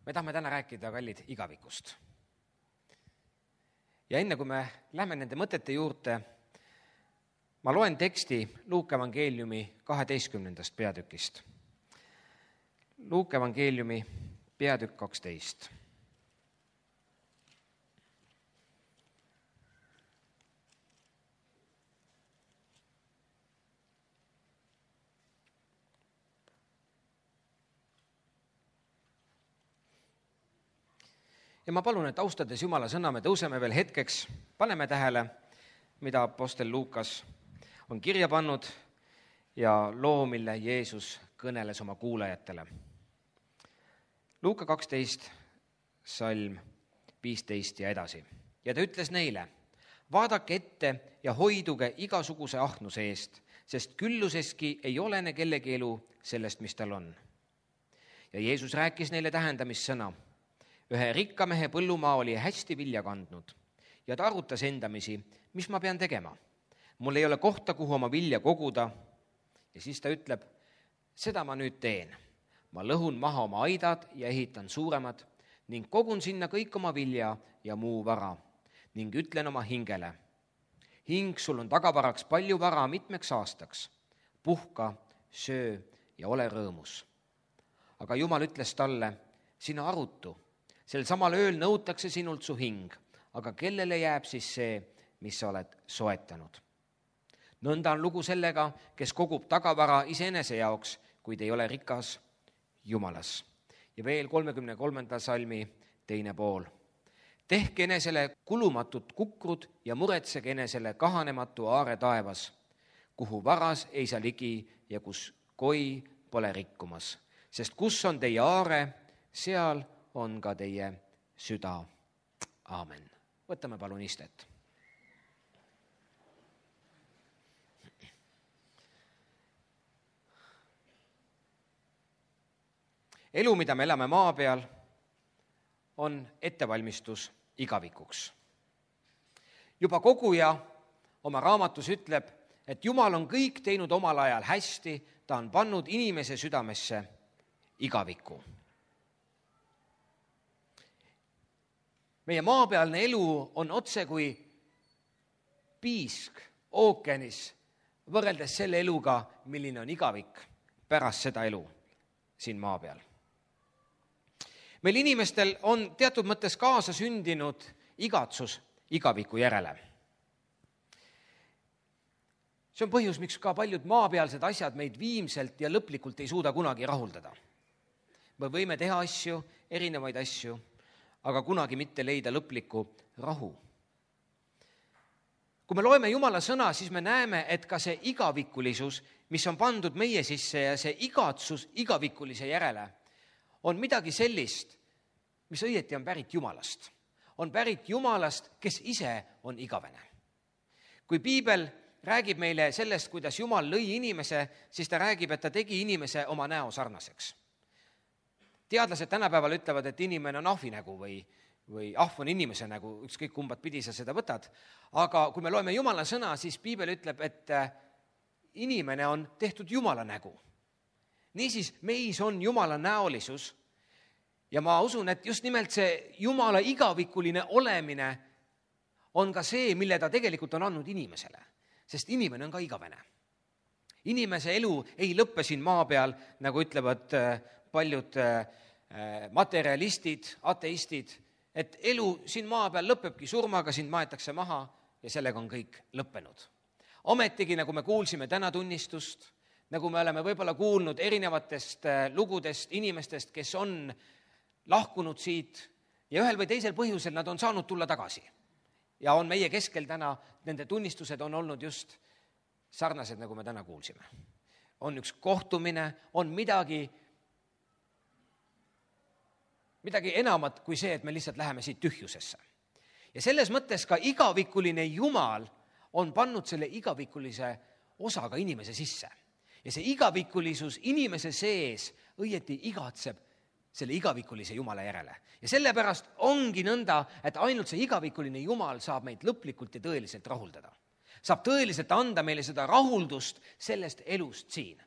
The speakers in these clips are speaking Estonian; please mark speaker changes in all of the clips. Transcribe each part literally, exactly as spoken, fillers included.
Speaker 1: me tahame täna rääkida, kallid, igavikust. Ja enne, kui me lähme nende mõtete juurde, ma loen teksti Luuke evangeeliumi kaheteistkümnendast peatükist. Luuke evangeeliumi peatükk kaksteist. Ja ma palun, et austades Jumala sõna, me tõuseme veel hetkeks, paneme tähele, mida apostel Luukas on kirja pannud ja loo, mille Jeesus kõneles oma kuulajatele. Luuka kaksteist, salm viisteist ja edasi. Ja ta ütles neile, vaadake ette ja hoiduge igasuguse ahnuse eest, sest külluseski ei olene kellegi elu sellest, mis tal on. Ja Jeesus rääkis neile tähendamissõna. Ühe rikka mehe põllumaa oli hästi vilja kandnud ja ta arutas endamisi, mis ma pean tegema. Mul ei ole kohta, kuhu oma vilja koguda. Ja siis ta ütleb, seda ma nüüd teen. Ma lõhun maha oma aidad ja ehitan suuremad ning kogun sinna kõik oma vilja ja muu vara ning ütlen oma hingele. Hing, sul on tagavaraks palju vara mitmeks aastaks. Puhka, söö ja ole rõõmus. Aga Jumal ütles talle, sina arutu. Sel samal ööl nõutakse sinult su hing, aga kellele jääb siis see, mis sa oled soetanud? Nõnda on lugu sellega, kes kogub tagavara iseenese jaoks, kuid ei ole rikas Jumalas. Ja veel kolmekümne kolmanda salmi teine pool. Tehke enesele kulumatut kukrud ja muretsege enesele kahanematu aare taevas, kuhu varas ei saa ligi ja kus koi pole rikkumas. Sest kus on teie aare, seal on ka teie süda. Aamen. Võtame palun istet. Elu, mida me elame maa peal, on ettevalmistus igavikuks. Juba koguja oma raamatus ütleb, et Jumal on kõik teinud omal ajal hästi, ta on pannud inimese südamesse igaviku. Meie maapealne elu on otse kui piisk ookeanis võrreldes selle eluga, milline on igavik pärast seda elu siin maa peal. Meil inimestel on teatud mõttes kaasa sündinud igatsus igaviku järele. See on põhjus, miks ka paljud maapealsed asjad meid viimselt ja lõplikult ei suuda kunagi rahuldada. Me võime teha asju, erinevaid asju, aga kunagi mitte leida lõplikku rahu. Kui me loeme Jumala sõna, siis me näeme, et ka see igavikulisus, mis on pandud meie sisse ja see igatsus igavikulise järele, on midagi sellist, mis õieti on pärit Jumalast. On pärit Jumalast, kes ise on igavene. Kui Piibel räägib meile sellest, kuidas Jumal lõi inimese, siis ta räägib, et ta tegi inimese oma näo sarnaseks. Teadlased tänapäeval ütlevad, et inimene on ahvi nägu või, või ahv on inimese nägu, ükskõik kumbat pidi sa seda võtad. Aga kui me loeme Jumala sõna, siis Piibel ütleb, et inimene on tehtud Jumala nägu. Niisiis, meis on Jumala näolisus ja ma usun, et just nimelt see Jumala igavikuline olemine on ka see, mille ta tegelikult on andnud inimesele, sest inimene on ka igavene. Inimese elu ei lõppe siin maa peal, nagu ütlevad paljud materialistid, ateistid, et elu siin maa peal lõpebki surmaga, sind maetakse maha ja sellega on kõik lõppenud. Ometigi, nagu me kuulsime täna tunnistust, nagu me oleme võib-olla kuulnud erinevatest lugudest inimestest, kes on lahkunud siit ja ühel või teisel põhjusel nad on saanud tulla tagasi. Ja on meie keskel täna, nende tunnistused on olnud just sarnased, nagu me täna kuulsime. On üks kohtumine, on midagi midagi enamat kui see, et me lihtsalt läheme siit tühjusesse. Ja selles mõttes ka igavikuline Jumal on pannud selle igavikulise osaga inimese sisse. Ja see igavikulisus inimese sees õieti igatseb selle igavikulise Jumala järele. Ja sellepärast ongi nõnda, et ainult see igavikuline Jumal saab meid lõplikult ja tõeliselt rahuldada. Saab tõeliselt anda meile seda rahuldust sellest elust siin.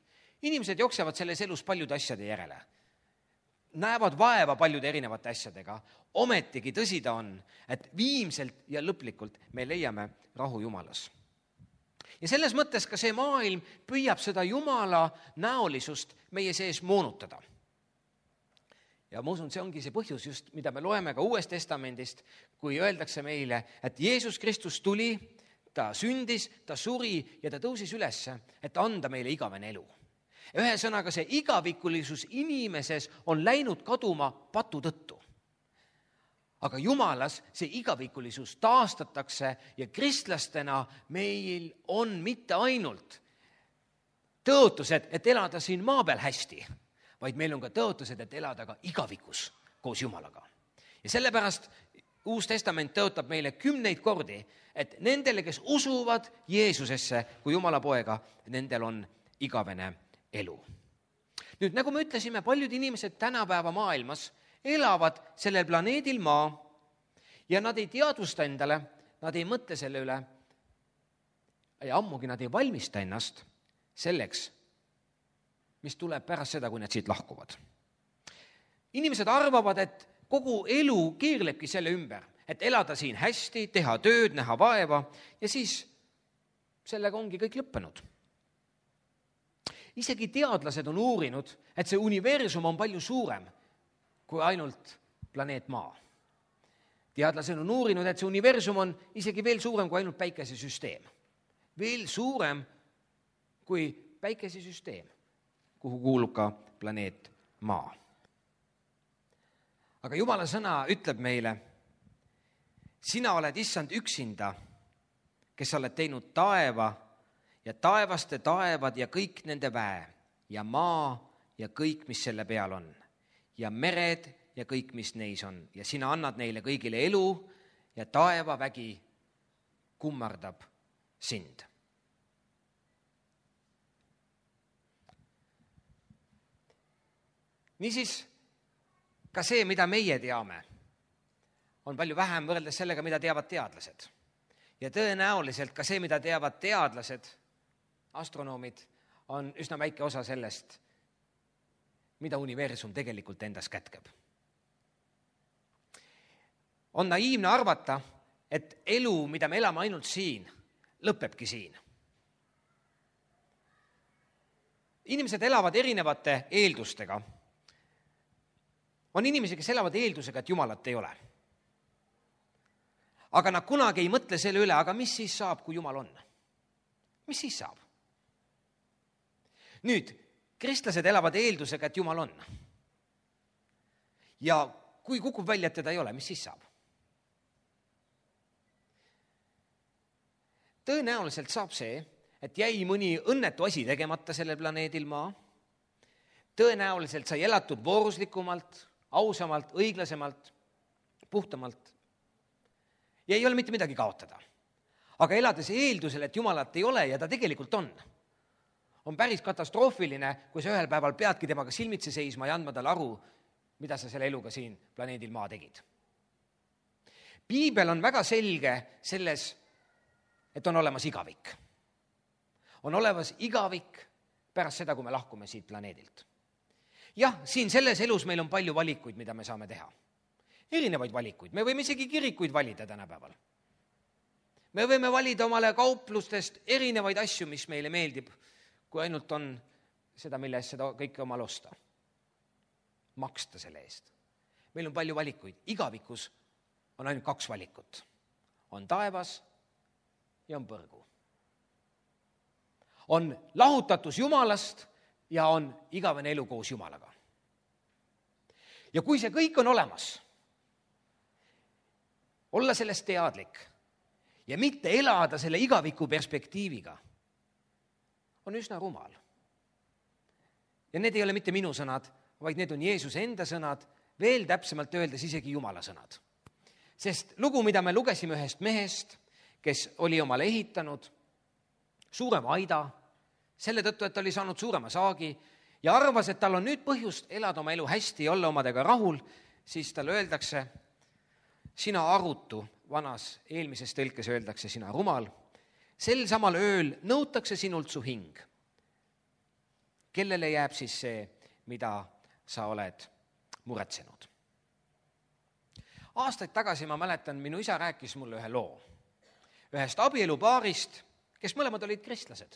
Speaker 1: Inimesed jooksevad selles elus paljude asjade järele. näevad vaeva paljude erinevate asjadega, ometigi tõsi ta on, et viimselt ja lõplikult me leiame rahu Jumalas. Ja selles mõttes ka see maailm püüab seda Jumala näolisust meie sees moonutada. Ja ma usun, see ongi see põhjus just, mida me loeme ka Uuest Testamendist, kui öeldakse meile, et Jeesus Kristus tuli, ta sündis, ta suri ja ta tõusis ülesse, et anda meile igavene elu. Ühesõnaga, see igavikulisus inimeses on läinud kaduma patu tõttu. Aga Jumalas see igavikulisus taastatakse ja kristlastena meil on mitte ainult tõotused, et elada siin maa peal hästi, vaid meil on ka tõotused, et elada ka igavikus koos Jumalaga. Ja sellepärast Uus Testament tõotab meile kümneid kordi, et nendele, kes usuvad Jeesusesse kui Jumala poega, nendel on igavene elu. Nüüd, nagu me ütlesime, paljud inimesed tänapäeva maailmas elavad sellel planeedil maa ja nad ei teadvusta endale, nad ei mõtle selle üle ja ammugi nad ei valmista ennast selleks, mis tuleb pärast seda, kui nad siit lahkuvad. Inimesed arvavad, et kogu elu keerlebki selle ümber, et elada siin hästi, teha tööd, näha vaeva ja siis sellega ongi kõik lõppenud. Isegi teadlased on uurinud, et see universum on palju suurem kui ainult planeet Maa. Teadlased on uurinud, et see universum on isegi veel suurem kui ainult päikesesüsteem. Veel suurem kui päikesesüsteem, kuhu kuulub ka planeet Maa. Aga Jumala sõna ütleb meile, sina oled issand üksinda, kes oled teinud taeva ja taevaste taevad ja kõik nende väe ja maa ja kõik, mis selle peal on ja mered ja kõik, mis neis on. Ja sina annad neile kõigile elu ja taevavägi kummardab sind. Niisiis, ka see, mida meie teame, on palju vähem võrreldes sellega, mida teavad teadlased. Ja tõenäoliselt ka see, mida teavad teadlased, astronoomid, on üsna väike osa sellest, mida universum tegelikult endas kätkeb. On naiivne arvata, et elu, mida me elame ainult siin, lõpebki siin. Inimesed elavad erinevate eeldustega. On inimesi, kes elavad eeldusega, et Jumalat ei ole. Aga nad kunagi ei mõtle selle üle, aga mis siis saab, kui Jumal on? Mis siis saab? Nüüd, kristlased elavad eeldusega, et Jumal on. Ja kui kukub välja, et teda ei ole, mis siis saab? Tõenäoliselt saab see, et jäi mõni õnnetu asi tegemata sellel planeedil Maa. Tõenäoliselt sai elatud vooruslikumalt, ausamalt, õiglasemalt, puhtamalt. Ja ei ole mitte midagi kaotada. Aga elades eeldusel, et Jumalat ei ole ja ta tegelikult on, on päris katastroofiline, kui sa ühel päeval peadki temaga silmitsi seisma ja andma talle aru, mida sa selle eluga siin planeedil Maa tegid. Piibel on väga selge selles, et on olemas igavik. On olemas igavik pärast seda, kui me lahkume siit planeedilt. Jah, siin selles elus meil on palju valikuid, mida me saame teha. Erinevaid valikuid. Me võime isegi kirikuid valida tänapäeval. Me võime valida omale kauplustest erinevaid asju, mis meile meeldib, kui ainult on seda, mille eest seda kõike omal osta. Maksta selle eest. Meil on palju valikuid. Igavikus on ainult kaks valikut. On taevas ja on põrgu. On lahutatus Jumalast ja on igavene elu koos Jumalaga. Ja kui see kõik on olemas, olla sellest teadlik ja mitte elada selle igaviku perspektiiviga, on üsna rumal. Ja need ei ole mitte minu sõnad, vaid need on Jeesuse enda sõnad, veel täpsemalt öeldes isegi Jumala sõnad. Sest lugu, mida me lugesime ühest mehest, kes oli omale ehitanud suurema aida, selle tõttu, et ta oli saanud suurema saagi ja arvas, et tal on nüüd põhjust elada oma elu hästi ja olla omadega rahul, siis talle öeldakse, sina arutu, vanas eelmises tõlkes öeldakse, sina rumal, sel samal ööl nõutakse sinult su hing. Kellele jääb siis see, mida sa oled muretsenud. Aastaid tagasi ma mäletan, minu isa rääkis mulle ühe loo ühest abielupaarist, kes mõlemad olid kristlased.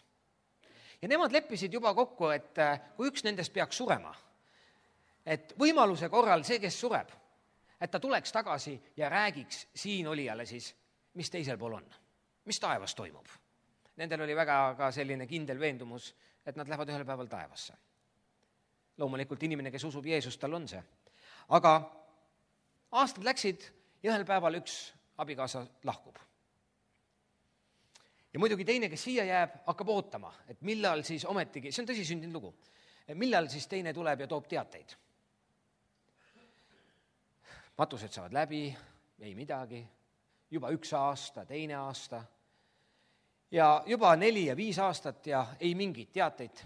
Speaker 1: Ja nemad leppisid juba kokku, et kui üks nendest peaks surema, et võimaluse korral see, kes sureb, et ta tuleks tagasi ja räägiks siin olijale siis, mis teisel pool on, mis taevas toimub. Nendel oli väga ka selline kindel veendumus, et nad lähevad ühel päeval taevasse. Loomulikult inimene, kes usub Jeesust, tal on see. Aga aastad läksid ja ühel päeval üks abikaasa lahkub. Ja muidugi teine, kes siia jääb, hakkab ootama, et millal siis ometigi, see on tõsi sündinud lugu, millal siis teine tuleb ja toob teateid. Matused saavad läbi, ei midagi, juba üks aasta, teine aasta ja juba neli ja viis aastat ja ei mingit teateid.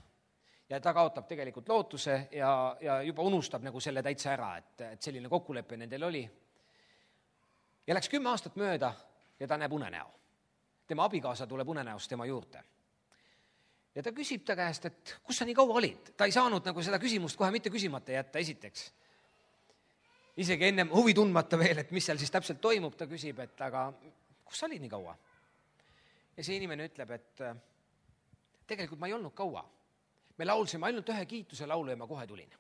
Speaker 1: Ja ta kaotab tegelikult lootuse ja, ja juba unustab nagu selle täitsa ära, et, et selline kokkulepe nendel oli. Ja läks kümme aastat mööda ja ta näeb unenäo. Tema abikaasa tuleb unenäost tema juurde. Ja ta küsib ta käest, et kus sa nii kaua olid? Ta ei saanud nagu seda küsimust kohe mitte küsimata jätta esiteks. Isegi ennem huvi tundmata veel, et mis seal siis täpselt toimub, ta küsib, et aga kus sa olid nii kaua? Ja see inimene ütleb, et tegelikult ma ei olnud kaua. Me laulsime ainult ühe kiituse laulu ja ma kohe tulin.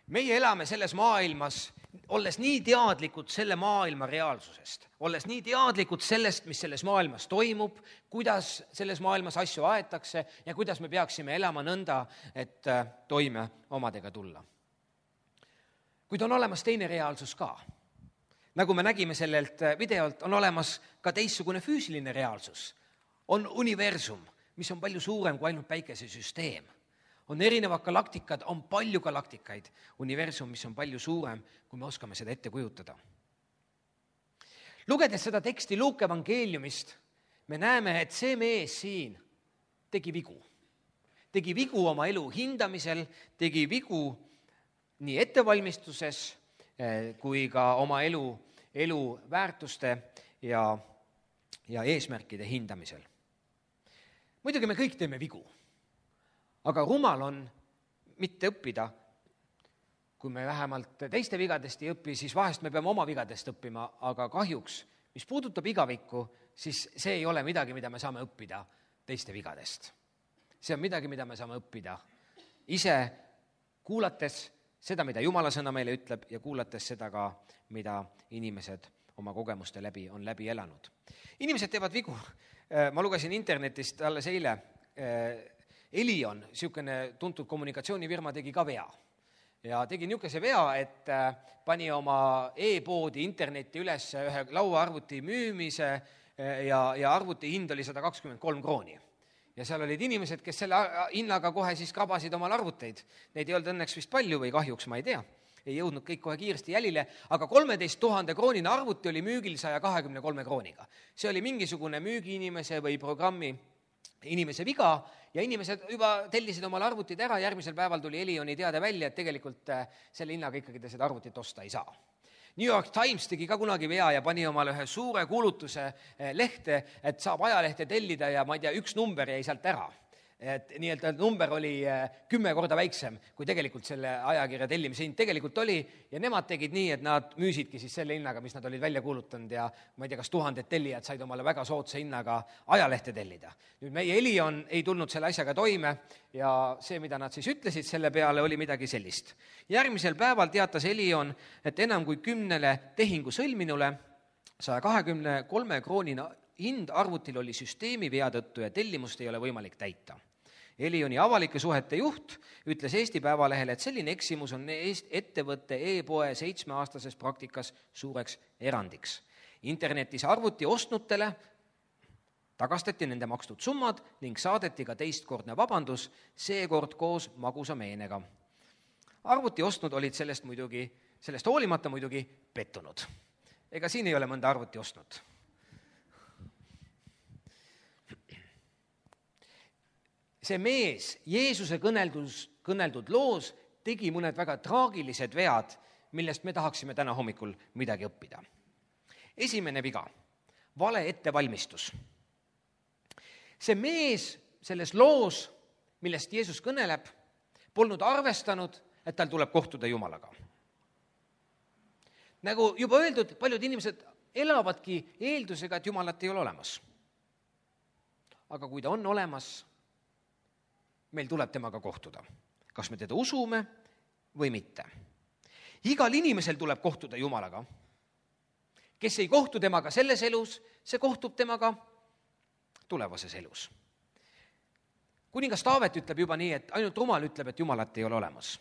Speaker 1: Meie elame selles maailmas, olles nii teadlikud selle maailma reaalsusest, olles nii teadlikud sellest, mis selles maailmas toimub, kuidas selles maailmas asju aetakse ja kuidas me peaksime elama nõnda, et toime omadega tulla. Kuid on olemas teine reaalsus ka. Nagu me nägime sellelt videolt, on olemas ka teistsugune füüsiline reaalsus. On universum, mis on palju suurem kui ainult päikesesüsteem. On erinevad galaktikad, on palju galaktikaid. Universum, mis on palju suurem, kui me oskame seda ette kujutada. Lugedes seda teksti Luuke evangeeliumist, me näeme, et see mees siin tegi vigu. Tegi vigu oma elu hindamisel, tegi vigu nii ettevalmistuses kui ka oma elu, elu väärtuste ja, ja eesmärkide hindamisel. Muidugi me kõik teeme vigu. Aga rumal on mitte õppida, kui me vähemalt teiste vigadest ei õpi, siis vahest me peame oma vigadest õppima, aga kahjuks, mis puudutab igavikku, siis see ei ole midagi, mida me saame õppida teiste vigadest. See on midagi, mida me saame õppida ise kuulates seda, mida Jumala sõna meile ütleb ja kuulates seda ka, mida inimesed oma kogemuste läbi on läbi elanud. Inimesed teevad vigu. Ma lugesin internetist alles eile, Elion, niisugune tuntud kommunikatsioonifirma, tegi ka vea. Ja tegi niisuguse vea, et pani oma e-poodi internetti üles ühe lauaarvuti müümise ja, ja arvuti hind oli sada kakskümmend kolm krooni. Ja seal olid inimesed, kes selle hinnaga kohe siis krabasid omal arvuteid. Neid ei olnud õnneks vist palju või kahjuks, ma ei tea. Ei jõudnud kõik kohe kiiresti jälile, aga kolmeteist tuhande kroonine arvuti oli müügil saja kahekümne kolme krooniga. See oli mingisugune müügiinimese või programmi inimese viga ja inimesed juba tellisid omal arvutid ära, järgmisel päeval tuli Elioni teade välja, et tegelikult selle hinnaga ikkagi te seda arvutit osta ei saa. New York Times tegi ka kunagi vea ja pani omale ühe suure kuulutuse lehte, et saab ajalehte tellida ja ma ei tea, üks number jäi sealt ära. Et nii-öelda number oli kümme korda väiksem, kui tegelikult selle ajakirja tellimise hind tegelikult oli ja nemad tegid nii, et nad müüsidki siis selle hinnaga, mis nad olid välja kuulutanud ja ma ei tea, kas tuhanded tellijad said omale väga soodsa hinnaga ajalehte tellida. Nüüd meie Elion ei tulnud selle asjaga toime ja see, mida nad siis ütlesid selle peale, oli midagi sellist. Järgmisel päeval teatas Elion, et enam kui kümnele tehingu sõlminule saja kahekümne kolme kroonina hind arvutil oli süsteemi vea tõttu ja tellimust ei ole võimalik täita. Elioni avalike suhete juht ütles Eesti Päevalehele, et selline eksimus on ettevõtte e-poe seitsmeaastases praktikas suureks erandiks. Internetis arvuti ostnutele tagastati nende makstud summad ning saadeti ka teistkordne vabandus, seekord koos magusa meenega. Arvuti ostnud olid sellest, muidugi, sellest hoolimata muidugi pettunud. Ega siin ei ole mõnda arvuti ostnud. See mees Jeesuse kõneldus, kõneldud loos tegi mõned väga traagilised vead, millest me tahaksime täna hommikul midagi õppida. Esimene viga, vale ettevalmistus. See mees selles loos millest Jeesus kõneleb, polnud arvestanud, et tal tuleb kohtuda Jumalaga. Nagu juba öeldud, paljud inimesed elavadki eeldusega, et Jumalat ei ole olemas. Aga kui ta on olemas, meil tuleb temaga kohtuda. Kas me teda usume või mitte. Igal inimesel tuleb kohtuda Jumalaga. Kes ei kohtu temaga selles elus, see kohtub temaga tulevases elus. Kuningas Taavet ütleb juba nii, et ainult rumal ütleb, et Jumalat ei ole olemas.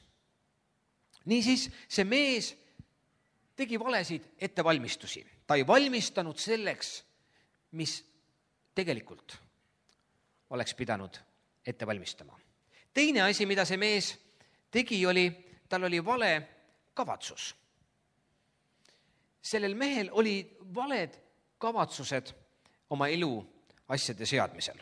Speaker 1: Niisiis, see mees tegi valesid ettevalmistusi. Ta ei valmistanud selleks, mis tegelikult oleks pidanud ette valmistama. Teine asi, mida see mees tegi, oli, tal oli vale kavatsus. Sellel mehel oli valed kavatsused oma elu asjade seadmisel.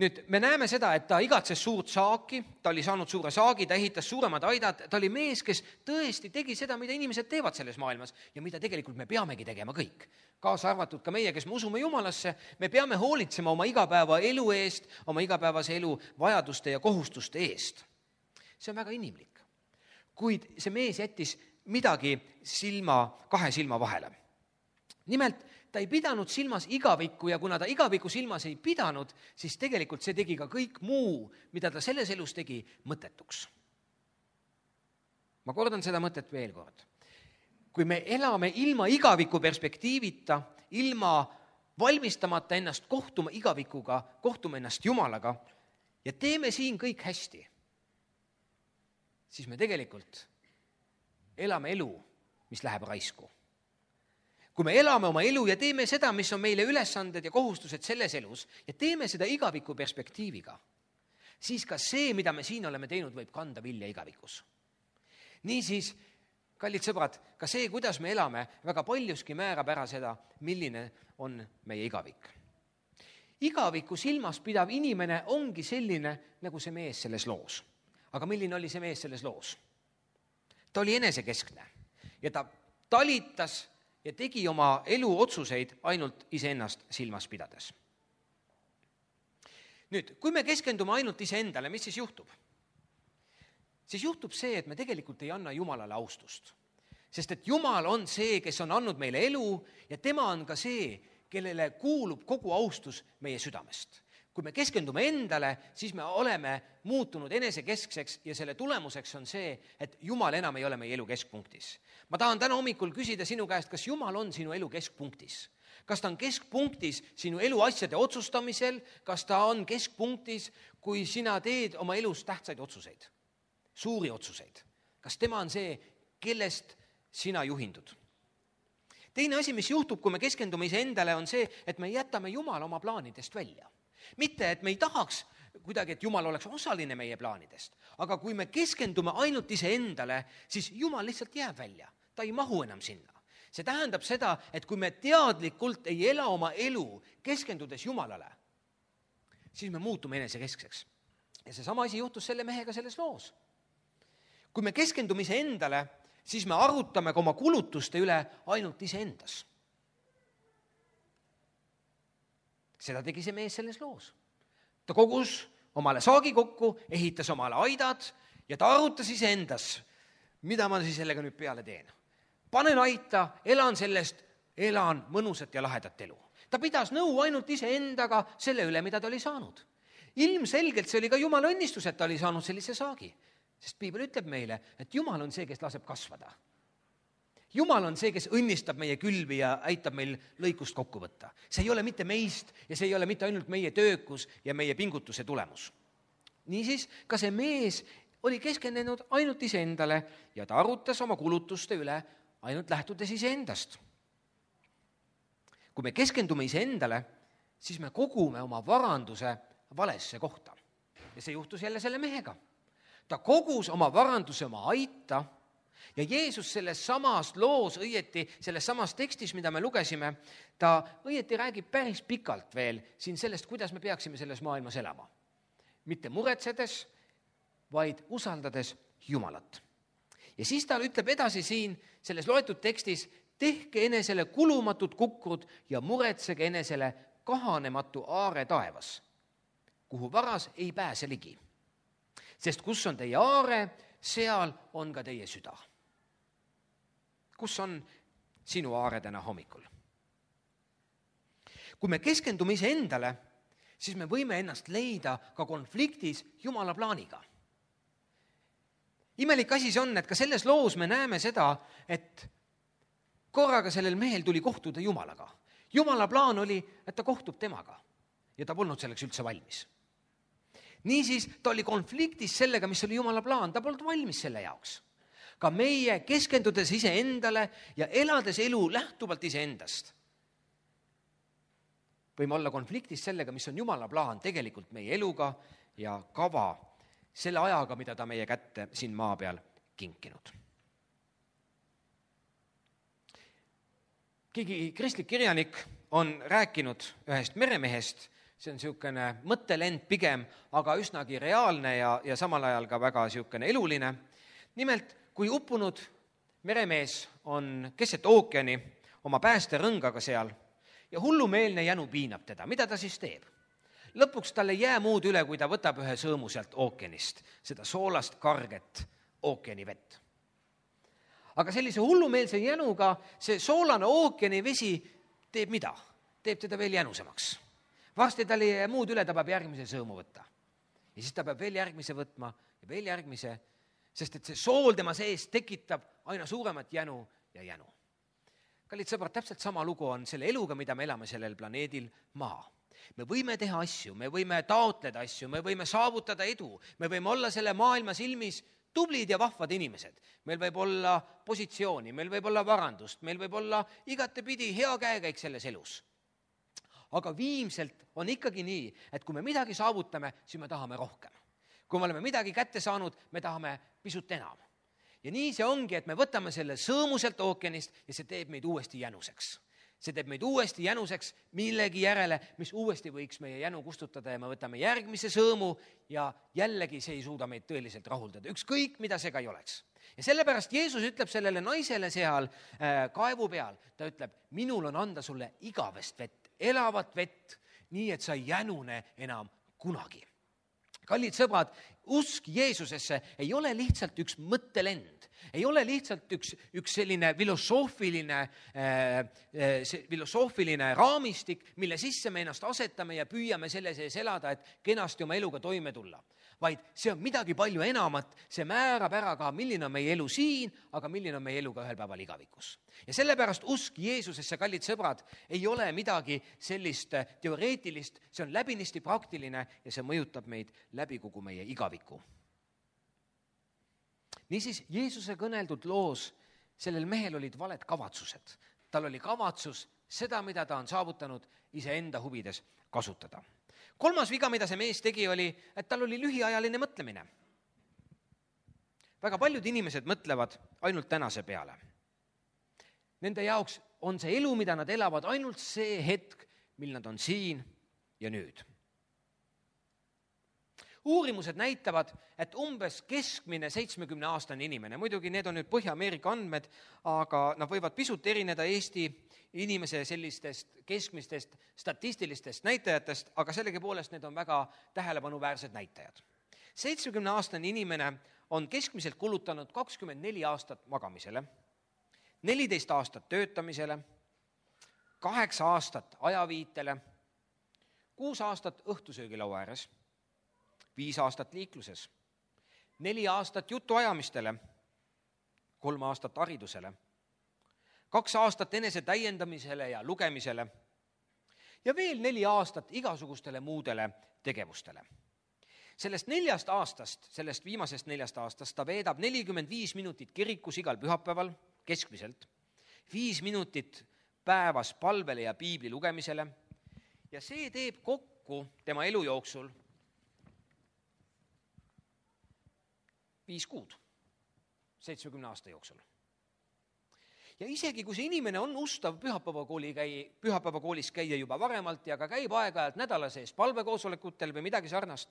Speaker 1: Nüüd me näeme seda, et ta igatses suurt saaki, ta oli saanud suure saagi, ta ehitas suuremad aidad, ta oli mees, kes tõesti tegi seda, mida inimesed teevad selles maailmas ja mida tegelikult me peamegi tegema kõik. Kaasa arvatud ka meie, kes me usume Jumalasse, me peame hoolitsema oma igapäeva elu eest, oma igapäevase elu vajaduste ja kohustuste eest. See on väga inimlik. Kuid see mees jättis midagi silma, kahe silma vahele. Nimelt, ta ei pidanud silmas igavikku ja kuna ta igavikku silmas ei pidanud, siis tegelikult see tegi ka kõik muu, mida ta selles elus tegi, mõttetuks. Ma kordan seda mõtet veel kord. Kui me elame ilma igaviku perspektiivita, ilma valmistamata ennast kohtuma igavikuga, kohtuma ennast Jumalaga ja teeme siin kõik hästi, siis me tegelikult elame elu, mis läheb raisku. Kui me elame oma elu ja teeme seda, mis on meile ülesanded ja kohustused selles elus ja teeme seda igaviku perspektiiviga, siis ka see, mida me siin oleme teinud, võib kanda vilja igavikus. Niisiis, kallid sõbrad, ka see, kuidas me elame, väga paljuski määrab ära seda, milline on meie igavik. Igaviku silmas pidav inimene ongi selline, nagu see mees selles loos. Aga milline oli see mees selles loos? Ta oli enesekeskne ja ta talitas ja tegi oma elu otsuseid ainult iseennast silmas pidades. Nüüd, kui me keskendume ainult iseendale, mis siis juhtub? Siis juhtub see, et me tegelikult ei anna Jumalale austust. Sest et Jumal on see, kes on andnud meile elu ja tema on ka see, kellele kuulub kogu austus meie südamest. Kui me keskendume endale, siis me oleme muutunud enesekeskseks ja selle tulemuseks on see, et Jumal enam ei ole meie elu keskpunktis. Ma tahan täna hommikul küsida sinu käest, kas Jumal on sinu elu keskpunktis? Kas ta on keskpunktis sinu elu asjade otsustamisel? Kas ta on keskpunktis, kui sina teed oma elus tähtsaid otsuseid? Suuri otsuseid. Kas tema on see, kellest sina juhindud? Teine asi, mis juhtub, kui me keskendume iseendale, on see, et me jätame Jumala oma plaanidest välja. Mitte, et me ei tahaks kuidagi, et Jumal oleks osaline meie plaanidest, aga kui me keskendume ainult iseendale, siis Jumal lihtsalt jääb välja. Ta ei mahu enam sinna. See tähendab seda, et kui me teadlikult ei ela oma elu keskendudes Jumalale, siis me muutume enesekeskseks. Ja see sama asi juhtus selle mehega selles loos. Kui me keskendume iseendale, siis me arutame ka oma kulutuste üle ainult iseendas. Seda tegi see mees selles loos. Ta kogus omale saagi kokku, ehitas omale aidad ja ta arutas iseendas, mida ma siis sellega nüüd peale teen. Panen aita, elan sellest, elan mõnusat ja lahedat elu. Ta pidas nõu ainult iseendaga selle üle, mida ta oli saanud. Ilmselgelt see oli ka Jumala õnnistus, et ta oli saanud sellise saagi. Sest Piibel ütleb meile, et Jumal on see, kes laseb kasvada. Jumal on see, kes õnnistab meie külvi ja aitab meil lõikust kokku võtta. See ei ole mitte meist ja see ei ole mitte ainult meie töökus ja meie pingutuse tulemus. Niisiis, ka see mees oli keskendunud ainult iseendale ja ta arutas oma kulutuste üle ainult lähtudes iseendast. Kui me keskendume iseendale, siis me kogume oma varanduse valesse kohta. Ja see juhtus jälle selle mehega. Ta kogus oma varanduse oma aita ja Jeesus selles samas loos õieti, selles samas tekstis, mida me lugesime, ta õieti räägib päris pikalt veel siin sellest, kuidas me peaksime selles maailmas elama. Mitte muretsedes, vaid usaldades Jumalat. Ja siis ta ütleb edasi siin selles loetud tekstis, tehke enesele kulumatud kukrud ja muretsege enesele kahanematu aare taevas, kuhu varas ei pääse ligi. Sest kus on teie aare, seal on ka teie süda. Kus on sinu aare täna hommikul? Kui me keskendume ise endale, siis me võime ennast leida ka konfliktis Jumala plaaniga. Imelik asi see on, et ka selles loos me näeme seda, et korraga sellel mehel tuli kohtuda Jumalaga. Jumala plaan oli, et ta kohtub temaga ja ta polnud selleks üldse valmis. Niisiis ta oli konfliktis sellega, mis oli Jumala plaan, ta polnud valmis selle jaoks. Ka meie keskendudes ise endale ja elades elu lähtuvalt ise endast, võime olla konfliktis sellega, mis on Jumala plaan tegelikult meie eluga ja kava selle ajaga, mida ta meie kätte siin maa peal kinkinud. Keegi kristlik kirjanik on rääkinud ühest meremehest, see on niisugune mõttelend pigem, aga üsnagi reaalne ja, ja samal ajal ka väga niisugune eluline. Nimelt, kui uppunud meremees on keset ookeani oma päästerõngaga seal ja hullumeelne jänu piinab teda, mida ta siis teeb? Lõpuks tal ei jää muud üle, kui ta võtab ühe sõõmu sealt ookeanist, seda soolast karget ookeani vett. Aga sellise hullumeelse jänuga see soolane ookeani vesi teeb mida? Teeb teda veel jänusemaks. Varsti tal ei jää muud üle, ta peab järgmise sõõmu võtta. Ja siis ta peab veel järgmise võtma ja veel järgmise, sest et see sool tema sees tekitab aina suuremat jänu ja jänu. Kallid sõbrad, täpselt sama lugu on selle eluga, mida me elame sellel planeedil maa. Me võime teha asju, me võime taotleda asju, me võime saavutada edu, me võime olla selle maailma silmis tublid ja vahvad inimesed. Meil võib olla positsiooni, meil võib olla varandust, meil võib olla igatepidi hea käekäik selles elus. Aga viimselt on ikkagi nii, et kui me midagi saavutame, siis me tahame rohkem. Kui me oleme midagi kätte saanud, me tahame pisut enam. Ja nii see ongi, et me võtame selle sõõmuselt ookeanist ja see teeb meid uuesti jänuseks. See teeb meid uuesti jänuseks millegi järele, mis uuesti võiks meie jänu kustutada ja me võtame järgmise sõõmu ja jällegi see ei suuda meid tõeliselt rahuldada. Ükskõik, mida see ka ei oleks. Ja sellepärast Jeesus ütleb sellele naisele seal äh, kaevu peal, ta ütleb, minul on anda sulle igavest vett, elavat vett, nii et sa ei jänune enam kunagi. Kallid sõbrad, usk Jeesusesse ei ole lihtsalt üks mõttelend, ei ole lihtsalt üks, üks selline filosoofiline, äh, filosoofiline raamistik, mille sisse me ennast asetame ja püüame selle sees elada, et kenasti oma eluga toime tulla. Vaid see on midagi palju enamat, see määrab ära ka, milline on meie elu siin, aga milline on meie elu ka ühel päeval igavikus. Ja sellepärast usk Jeesusesse, kallid sõbrad, ei ole midagi sellist teoreetilist, see on läbinisti praktiline ja see mõjutab meid läbi kogu meie igaviku. Niisiis, Jeesuse kõneldud loos sellel mehel olid valed kavatsused. Tal oli kavatsus seda, mida ta on saavutanud, iseenda huvides kasutada. Kolmas viga, mida see mees tegi, oli, et tal oli lühiajaline mõtlemine. Väga paljud inimesed mõtlevad ainult tänase peale. Nende jaoks on see elu, mida nad elavad, ainult see hetk, mil nad on siin ja nüüd. Uurimused näitavad, et umbes keskmine seitsmekümne aastane inimene, muidugi need on nüüd Põhja-Ameerika andmed, aga nad võivad pisut erineda Eesti inimese sellistest keskmistest statistilistest näitajatest, aga sellegipoolest need on väga tähelepanuväärsed näitajad. seitsmekümne aastane inimene on keskmiselt kulutanud kakskümmend neli aastat magamisele, neliteist aastat töötamisele, kaheksa aastat ajaviitele, kuus aastat õhtusöögilaua ääres, viis aastat liikluses, neli aastat jutuajamistele, kolm aastat haridusele, kaks aastat enese täiendamisele ja lugemisele ja veel neli aastat igasugustele muudele tegevustele. Sellest neljast aastast, sellest viimasest neljast aastast ta veedab nelikümmend viis minutit kirikus igal pühapäeval keskmiselt, viis minutit päevas palvele ja piibli lugemisele ja see teeb kokku tema elu jooksul viis kuud, seitsmekümne aasta jooksul. Ja isegi, kui see inimene on ustav pühapäevakooli käi, pühapäevakoolis käia juba varemalt ja ka käib aeg-ajalt nädala sees palvekoosolekutel või midagi sarnast,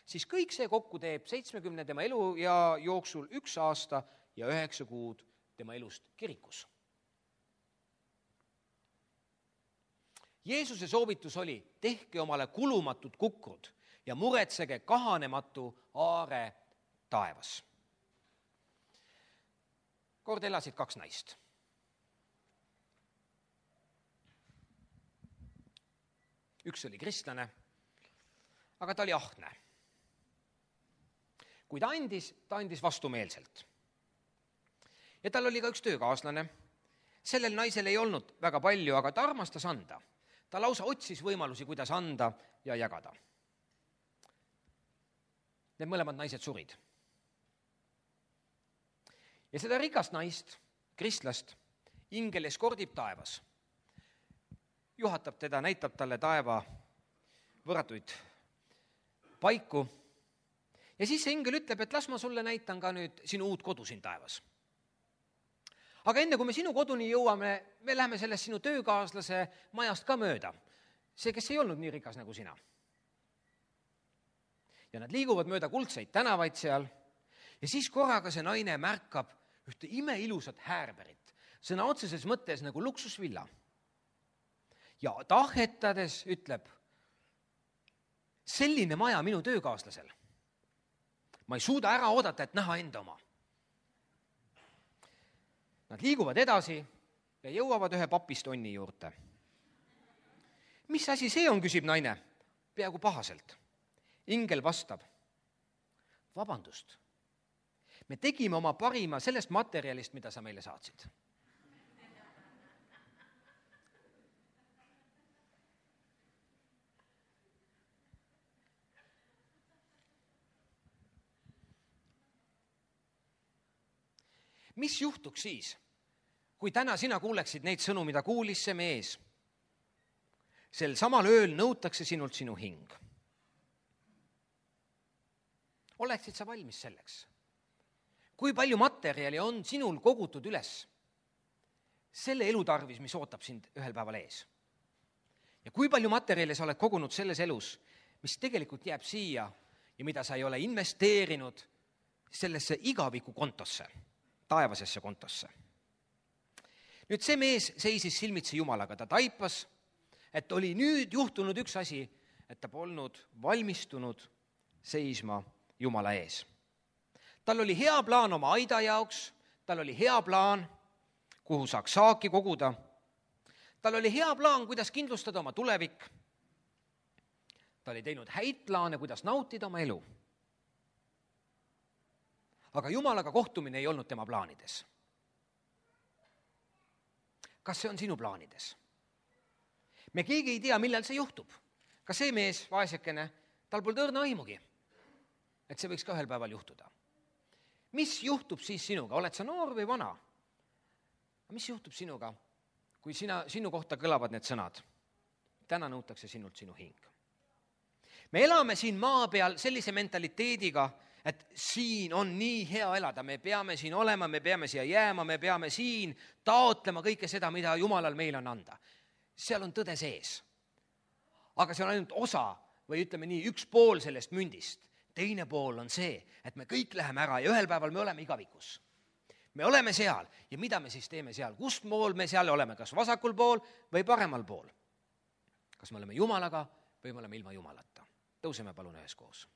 Speaker 1: siis kõik see kokku teeb seitsmekümne tema elu ja jooksul üks aasta ja üheksa kuud tema elust kirikus. Jeesuse soovitus oli, tehke omale kulumatud kukrud ja muretsege kahanematu aare taevas. Kord elasid kaks naist. Üks oli kristlane, aga ta oli ahne. Kui ta andis, ta andis vastumeelselt. Ja tal oli ka üks töökaaslane. Sellel naisel ei olnud väga palju, aga ta armastas anda. Ta lausa otsis võimalusi, kuidas anda ja jagada. Need mõlemad naised surid. Ja seda rikast naist, kristlast, ingel eskordib taevas. Juhatab teda, näitab talle taeva võrratuid paiku. Ja siis see ingel ütleb, et las ma sulle näitan ka nüüd sinu uut kodu siin taevas. Aga enne, kui me sinu koduni jõuame, me läheme sellest sinu töökaaslase majast ka mööda. See, kes ei olnud nii rikas nagu sina. Ja nad liiguvad mööda kuldseid tänavaid seal. Ja siis korraga see naine märkab ühte imeilusat häärberit. Sõna otseses mõttes nagu luksusvilla. Ja tahetades ütleb, selline maja minu töökaaslasel. Ma ei suuda ära oodata, et näha enda oma. Nad liiguvad edasi ja jõuavad ühe papistonni juurde. Mis asi see on, küsib naine, peaaegu pahaselt. Ingel vastab, vabandust, me tegime oma parima sellest materjalist, mida sa meile saatsid. Mis juhtuks siis, kui täna sina kuuleksid neid sõnu, mida kuulis see mees? Sel samal ööl nõutakse sinult sinu hing. Oleksid sa valmis selleks? Kui palju materjali on sinul kogutud üles selle elu tarvis, mis ootab sind ühel päeval ees? Ja kui palju materjali sa oled kogunud selles elus, mis tegelikult jääb siia ja mida sa ei ole investeerinud sellesse igaviku kontosse? Taevasesse kontosse. Nüüd see mees seisis silmitsi Jumalaga, ta taipas, et oli nüüd juhtunud üks asi, et ta polnud valmistunud seisma Jumala ees. Tal oli hea plaan oma aida jaoks, tal oli hea plaan, kuhu saaks saaki koguda, tal oli hea plaan, kuidas kindlustada oma tulevik, ta oli teinud häid plaane, kuidas nautida oma elu. Aga Jumalaga kohtumine ei olnud tema plaanides. Kas see on sinu plaanides? Me keegi ei tea, millal see juhtub. Ka see mees, vaesekene, tal pole õrna aimugi, et see võiks ka ühel päeval juhtuda. Mis juhtub siis sinuga? Oled sa noor või vana? Mis juhtub sinuga, kui sina, sinu kohta kõlavad need sõnad? Täna nõutakse sinult sinu hing. Me elame siin maa peal sellise mentaliteediga, et siin on nii hea elada, me peame siin olema, me peame siia jääma, me peame siin taotlema kõike seda, mida Jumalal meil on anda. Seal on tõde sees. Aga see on ainult osa või ütleme nii, üks pool sellest mündist. Teine pool on see, et me kõik läheme ära ja ühel päeval me oleme igavikus. Me oleme seal ja mida me siis teeme seal? Kust pool me seal oleme, kas vasakul pool või paremal pool? Kas me oleme Jumalaga või me oleme ilma Jumalata? Tõuseme palun üheskoos.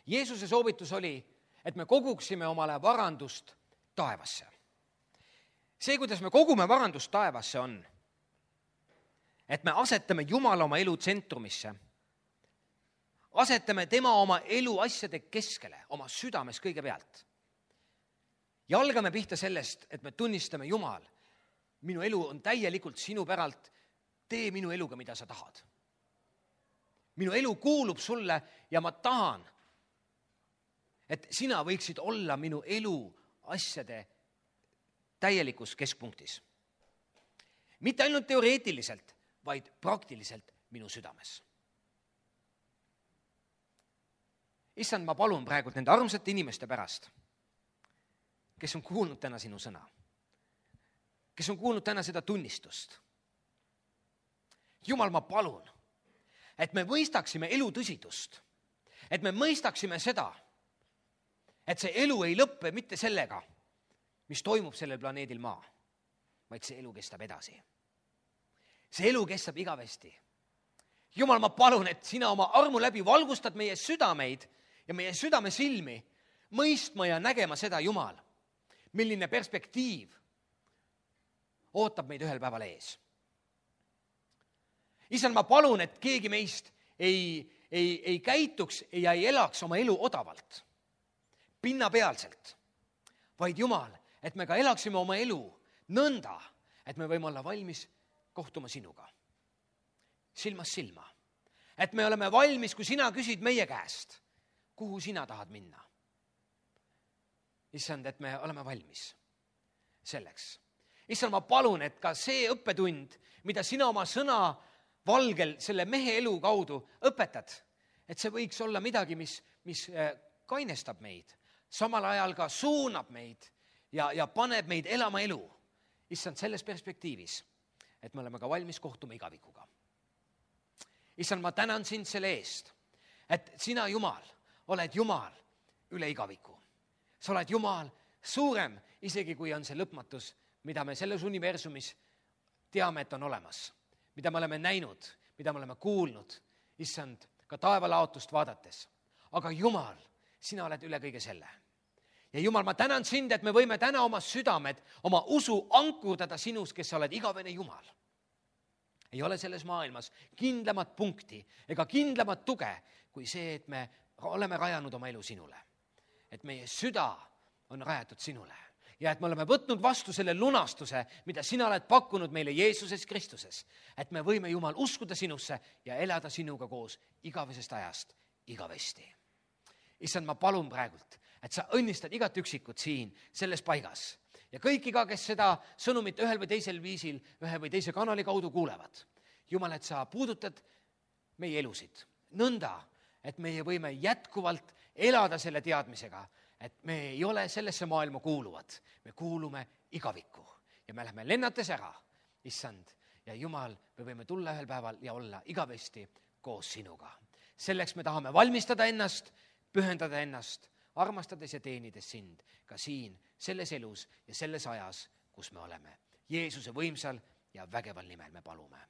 Speaker 1: Jeesuse soovitus oli, et me koguksime omale varandust taevasse. See, kuidas me kogume varandust taevasse on, et me asetame Jumala oma elu tsentrumisse, asetame tema oma elu asjade keskele, oma südames kõigepealt. Ja algame pihta sellest, et me tunnistame Jumal, minu elu on täielikult sinu päralt, tee minu eluga, mida sa tahad. Minu elu kuulub sulle ja ma tahan, et sina võiksid olla minu elu asjade täielikus keskpunktis. Mitte ainult teoreetiliselt, vaid praktiliselt minu südames. Issand, ma palun praegu nende armsate inimeste pärast, kes on kuulnud täna sinu sõna, kes on kuulnud täna seda tunnistust. Jumal, ma palun, et me mõistaksime elu tõsidust, et me mõistaksime seda, et see elu ei lõppe mitte sellega, mis toimub sellel planeedil maa, vaid see elu kestab edasi. See elu kestab igavesti. Jumal, ma palun, et sina oma armu läbi valgustad meie südameid ja meie südame silmi, mõistma ja nägema seda, Jumal, milline perspektiiv ootab meid ühel päeval ees. Issand, ma palun, et keegi meist ei, ei, ei käituks ja ei elaks oma elu odavalt, pinnapealselt, vaid Jumal, et me ka elaksime oma elu nõnda, et me võime olla valmis kohtuma sinuga, silmast silma. Et me oleme valmis, kui sina küsid meie käest, kuhu sina tahad minna. Issand, et me oleme valmis selleks. Issand, ma palun, et ka see õppetund, mida sina oma sõna valgel selle mehe elu kaudu õpetad, et see võiks olla midagi, mis, mis kainestab meid, samal ajal ka suunab meid ja, ja paneb meid elama elu. Issand, selles perspektiivis, et me oleme ka valmis kohtuma igavikuga. Issand, ma tänan sind selle eest, et sina, Jumal, oled Jumal üle igaviku. Sa oled Jumal suurem, isegi kui on see lõpmatus, mida me selles universumis teame, et on olemas, mida me oleme näinud, mida me oleme kuulnud, issand, ka taevalaotust vaadates. Aga Jumal, sina oled üle kõige selle. Ja Jumal, ma tänan sind, et me võime täna oma südamed, oma usu ankurdada sinus, kes sa oled igavene Jumal. Ei ole selles maailmas kindlamat punkti ega kindlamat tuge kui see, et me oleme rajanud oma elu sinule. Et meie süda on rajatud sinule ja et me oleme võtnud vastu selle lunastuse, mida sina oled pakkunud meile Jeesuses Kristuses. Et me võime, Jumal, uskuda sinusse ja elada sinuga koos igavesest ajast igavesti. Issand, ma palun praegult, et sa õnnistad igat üksikut siin selles paigas. Ja kõik iga, kes seda sõnumit ühel või teisel viisil, ühe või teise kanali kaudu kuulevad. Jumal, et sa puudutad meie elusid nõnda, et meie võime jätkuvalt elada selle teadmisega, et me ei ole sellesse maailma kuuluvad. Me kuulume igavikku ja me lähme lennates ära, issand. Ja Jumal, me võime tulla ühel päeval ja olla igavesti koos sinuga. Selleks me tahame valmistada ennast, pühendada ennast, armastades ja teenides sind ka siin, selles elus ja selles ajas, kus me oleme. Jeesuse võimsal ja vägeval nimel me palume.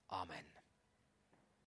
Speaker 1: Amen.